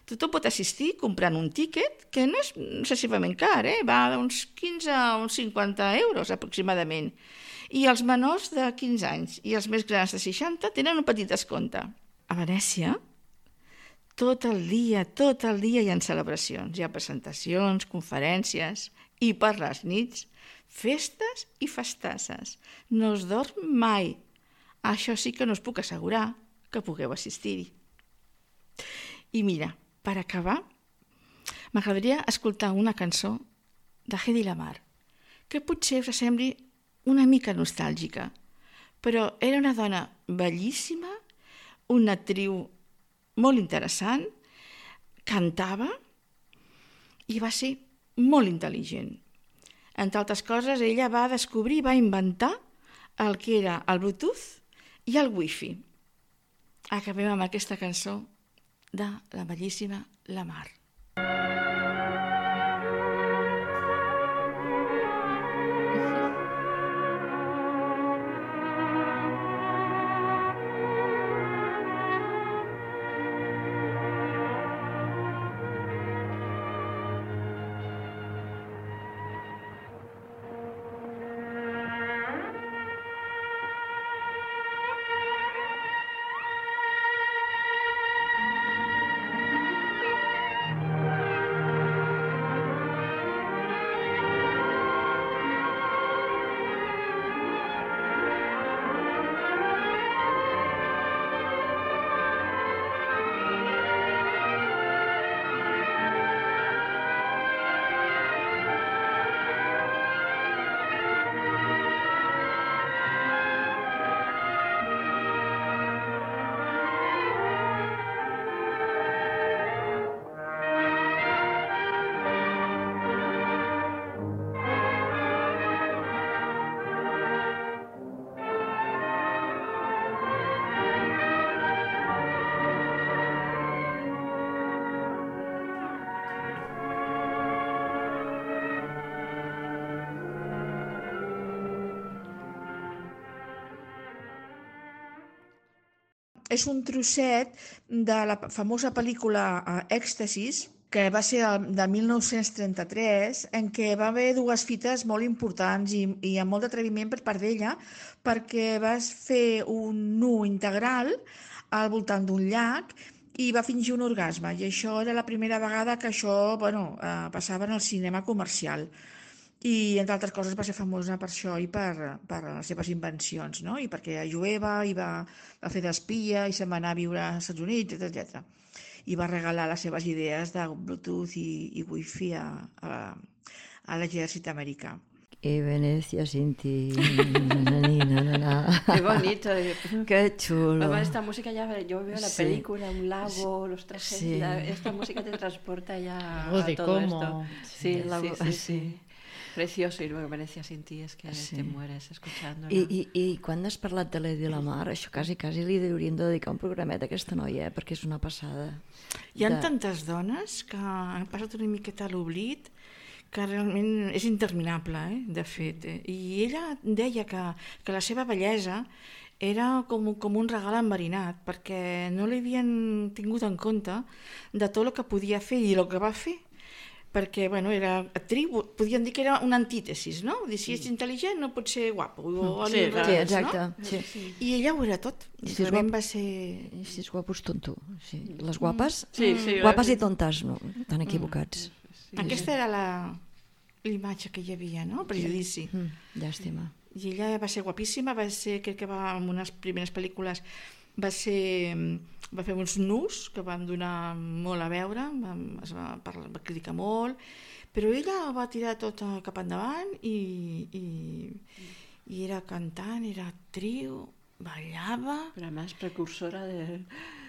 Tothom pot assistir comprant un tíquet que no és excessivament car, eh? Va d'uns quinze a uns cinquanta euros aproximadament. I els menors de quinze anys i els més grans de seixanta tenen un petit descompte. A Venècia, tot el dia, tot el dia hi ha celebracions, hi ha presentacions, conferències, i per les nits, festes i festasses. No es dorm mai. Això sí que no us puc assegurar que pugueu assistir-hi. I mira, per acabar, m'agradaria escoltar una cançó de Hedy Lamarr, que potser us sembli una mica nostàlgica, però era una dona bellíssima, una actriu molt interessant, cantava i va ser molt intel·ligent. Entre altres coses, ella va descobrir, va inventar el que era el Bluetooth i el Wi-Fi. Acabem amb aquesta cançó de la bellíssima Lamarr. És un trosset de la famosa pel·lícula Èxtasis, que va ser de mil nou-cents trenta-tres, en què va haver dues fites molt importants i, i amb molt d'atreviment per part d'ella, perquè vas fer un nu integral al voltant d'un llac i va fingir un orgasme. I això era la primera vegada que això bueno, eh, passava en el cinema comercial. I, entre altres coses, va ser famosa per això i per, per les seves invencions, no? I perquè era jueva i va, va fer d'espia i se'n va anar a viure als Estats Units, etcètera. I va regalar les seves idees de Bluetooth i, i Wi-Fi a, a, a l'exèrcit americà. Y Venecia sin ti. Na, na, na. Qué bonito. Qué chulo. Además, esta música ya, yo veo la Sí. película, un lago, los trajes, Sí. la- esta música te transporta ya Algo a de todo cómo. esto. Sí, La- sí, sí, sí. sí. precioso, y luego Venecia sin ti és que sí. te mueres escuchándola. I, i, I quan has parlat de l'Eddie Lamar, això quasi, quasi li hauríem de dedicar un programet a aquesta noia, eh? Perquè és una passada. Hi ha de... tantes dones que han passat una miqueta a l'oblit que realment és interminable, eh? De fet. Eh? I ella deia que, que la seva bellesa era com, com un regal enverinat, perquè no l'havien tingut en compte de tot el que podia fer i el que va fer. Perquè, bueno, era actriu, podien dir que era una antítesis, no? Dir, si ets intel·ligent no pot ser guapo. O sí, sí, exacte. No? Sí. I ella ho era tot. I si realment va ser... Si és guapo és tonto. Sí. Les guapes, sí, sí, guapes i tontes, no? Tan equivocats. Sí. Aquesta era la l'imatge que hi havia, no? El prejudici. Mm, llàstima. I ella va ser guapíssima, va ser, crec que va en unes primeres pel·lícules, va ser... va fer uns nus que van donar molt a veure, va, es va, parlar, va criticar molt, però ella va tirar tot cap endavant i, i, i era cantant, era actriu, ballava... Però a més precursora de...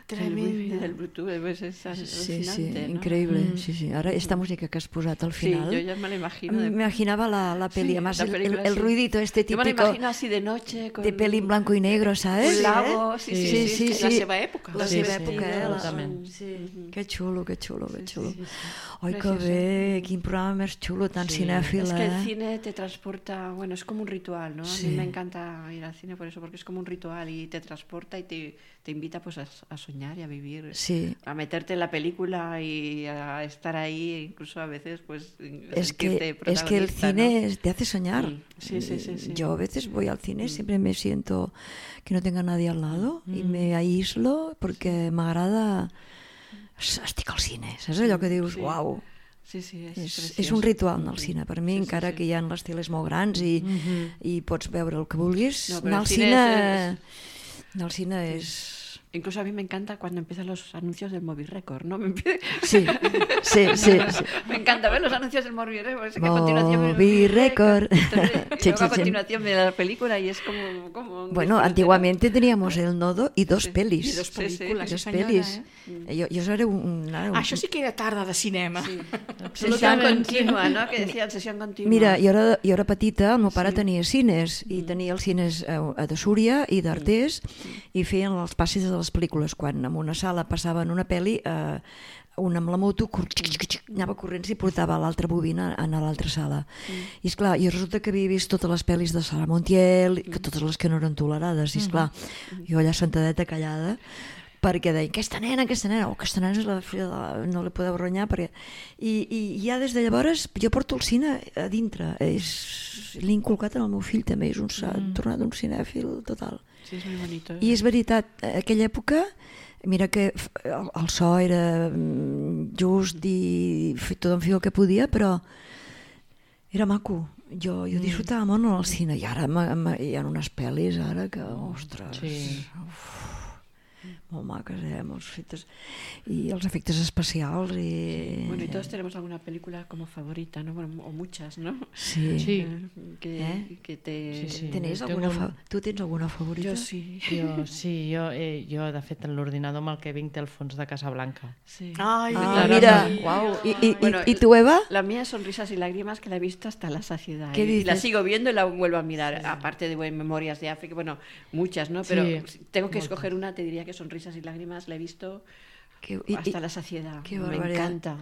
Tremenda. Del Bluetooth, pues es sí, alucinante, sí, ¿no? increíble. Mm. Sí, sí. Ahora esta música que has posat al final. Sí, yo ya me la imagino. De... Me imaginaba la, la peli, sí, además la el, película, el, el sí. ruidito este típico. Yo me la imagino así de noche. Con... De peli en blanco y negro, ¿sabes? Un lago, sí, sí, sí. sí, sí, sí, sí. La seva època. La sí, seva sí, època, sí, eh? Totalment. Sí. Que xulo, que xulo, que xulo. Sí, sí, sí. Ai, que bé, quin programa més xulo, tan sí. cinèfil, Es que el eh? cine te transporta, bueno, es como un ritual, ¿no? Sí. A mí me encanta ir al cine por eso, porque es como un ritual y te transporta y te, te invita pues a, a soñar y a vivir, Sí. a meterte en la película y a estar ahí, incluso a veces pues Es que, es que el cine ¿no? te hace soñar. Mm. Sí, sí, sí, sí. Yo a veces voy al cine, Mm. siempre me siento que no tenga nadie al lado mm. y me aíslo porque m'agrada... Estic al cine, saps allò que dius, sí. uau, Sí, sí, és, és, és un ritual anar al cine per mi, sí, sí, encara sí. que hi ha les teles molt grans i, Mm -hmm. i pots veure el que vulguis, No, però anar el al cine cine, és- anar al cine és... Incluso a mí me encanta cuando empiezan los anuncios del Movie Record, ¿no? Me, empie- Sí, sí, sí, sí. me encanta ver los anuncios del Movie Record. Que a continuación me- Movie Record. Entonces, y Sí, luego sí, a sí. continuación viene la película y es como... como un Bueno, disfrute, antiguamente teníamos el nodo y dos Sí. pelis. I dos Sí, sí. pel·lícules, I dos sí, senyora, pelis. eh? Jo, jo seré un... Ara, un... Això sí que era tarda de cinema. ¿no? Sesión continua, ¿no? Que decían sesión continua. Mira, jo era, jo era petita, el meu pare Sí. tenia cines, i tenia els cines a, a de Súria i d'Artés, i feien els passis de les pel·lícules. Quan en una sala passaven una pel·li, eh, un amb la moto cor... anava corrents i portava l'altra bobina a l'altra sala. I esclar, jo resulta que havia vist totes les pel·lis de Sara Montiel, que totes les que no eren tolerades, i esclar, jo allà sentadeta callada, perquè deien, aquesta nena, aquesta nena, oh, aquesta nena és la filla de la... no la podeu renyar, perquè... I, i ja des de llavors jo porto el cine a dintre, és... l'he inculcat en el meu fill també, és un... s'ha Mm. tornat un cinèfil total. Sí, es muy bonito. I és veritat, a aquella època, mira que f- el, el so era mm, just i f- tothom feia el que podia, però era maco. Jo, jo disfrutava molt al cine i ara ma, ma, hi ha unes pel·lis ara que, ostres, Sí. uf, molt maques, eh, molt fetes, i els efectes especials i... Bueno, y todos tenemos alguna película como favorita, ¿no? Bueno, o muchas, ¿no? Sí. Sí. Eh, Que, Eh? que te... Sí, sí. Tenies Tengo alguna un- fa... Tu tens alguna favorita? Yo sí. Jo, sí, jo, eh, jo de fet en l'ordinador amb el que vinc té el fons de Casablanca. Sí. Ai, Ah, Claro, mira, sí. uau. I, i, Bueno, i, i tu, Eva? La mía es Sonrisas y Lágrimas, que la he visto hasta la saciedad. ¿Qué Y la dices? sigo viendo y la vuelvo a mirar. Aparte de bueno, Memorias de África, bueno, muchas, ¿no? Pero Sí, si tengo que moltes. escoger una, te diría que Sonrisas y Lágrimas la he visto Que, i, hasta i, la saciedad. qué Me barbaridad. encanta.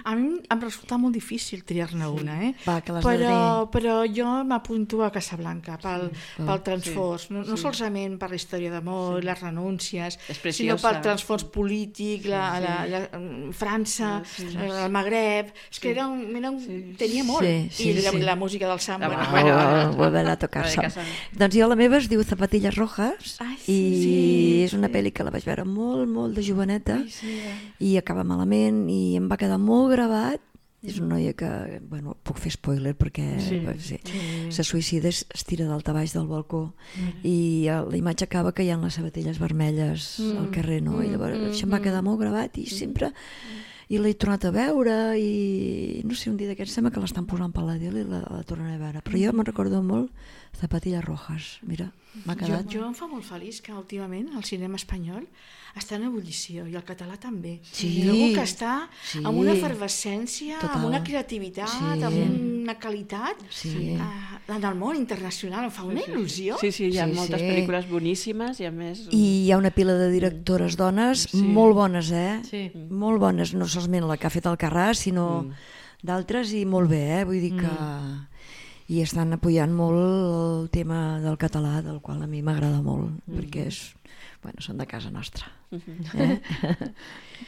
A mi em resulta molt difícil triar-ne una, eh? Va, que l'has de però, però jo m'apunto a Casablanca pel, Sí. pel transfons, Sí. no, no Sí. solament per la història d'amor, Sí. les renúncies, És sinó preciosa. pel transfons polític, la, la, la, la, França, Sí. eh, el Magreb, és que era un, era un, Sí. tenia molt. Sí, sí, I la, sí. la música del samba. La- bueno, Bueno, bueno, volver a tocar la de sol. casa. Doncs jo la meva es diu Zapatillas Rojas Ai, i sí, és una sí. pel·li que la vaig veure molt, molt de joveneta Ai, sí, eh. i acaba malament i em va quedar molt gravat. És una noia que, bueno, puc fer spoiler perquè Sí. sí. Sí. se suïcida, es es tira d'alta baix del balcó i eh, la imatge acaba caient les sabatilles vermelles al carrer, no? I llavors això em va quedar molt gravat i sempre... i l'he tornat a veure i no sé, un dia d'aquests sembla que l'estan posant per la tele i la, la tornen a veure, però jo me'n recordo molt Zapatillas Rojas, mira, m'ha quedat. Jo, jo em fa molt feliç que últimament el cinema espanyol està en ebullició i el català també. Sí, Trobo que està sí, amb una efervescència, total. amb una creativitat, Sí. amb una qualitat Sí. eh, en el món internacional, em fa una il·lusió. Sí, sí, hi ha Sí, moltes sí. pel·lícules boníssimes i a més... I hi ha una pila de directores dones Sí. molt bones, eh? Sí. Molt bones, no solament la que ha fet el Carràs, sinó Mm. d'altres i molt bé, eh? Vull dir que... I estan apoyant molt el tema del català, del qual a mi m'agrada molt, perquè és... Bueno, són de casa nostra. Eh?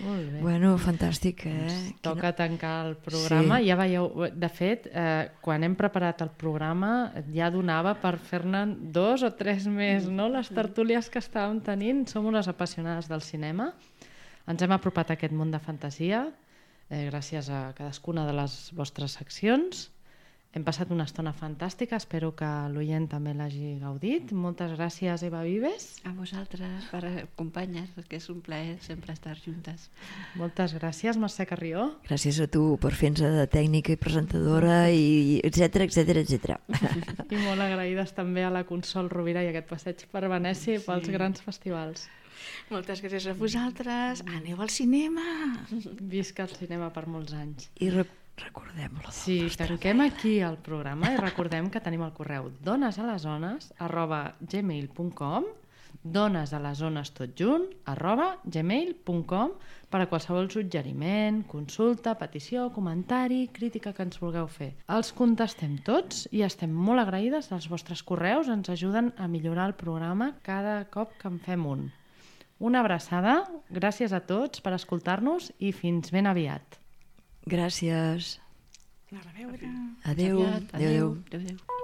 Molt bé. Bueno, fantàstic, eh? Doncs toca tancar el programa. Sí. Ja veieu, de fet, eh, quan hem preparat el programa ja donava per fer-ne dos o tres més, no? Les tertúlies que estàvem tenint. Som unes apassionades del cinema. Ens hem apropat a aquest món de fantasia eh, gràcies a cadascuna de les vostres seccions. Hem passat una estona fantàstica, espero que l'oient també l'hagi gaudit. Moltes gràcies, Eva Vives. A vosaltres per acompanyar, que és un plaer sempre estar juntes. Moltes gràcies, Mercè Carrió. Gràcies a tu per fer-nos de tècnica i presentadora, i etcètera, etcètera, etcètera. I molt agraïdes també a la Consol Rovira i aquest passeig per Venècia i pels grans festivals. Moltes gràcies a vosaltres. Aneu al cinema. Visca el cinema per molts anys. I rec recordem-lo. Sí, tanquem aquí el programa i recordem que tenim el correu donesalesones arroba gmail punt com, donesalesones tot junt arroba gmail punt com, per a qualsevol suggeriment, consulta, petició, comentari, crítica que ens vulgueu fer. Els contestem tots i estem molt agraïdes dels vostres correus, ens ajuden a millorar el programa cada cop que en fem un. Una abraçada, gràcies a tots per escoltar-nos i fins ben aviat. Gràcies. A reveure. Adéu. Adéu. Adéu. Adéu.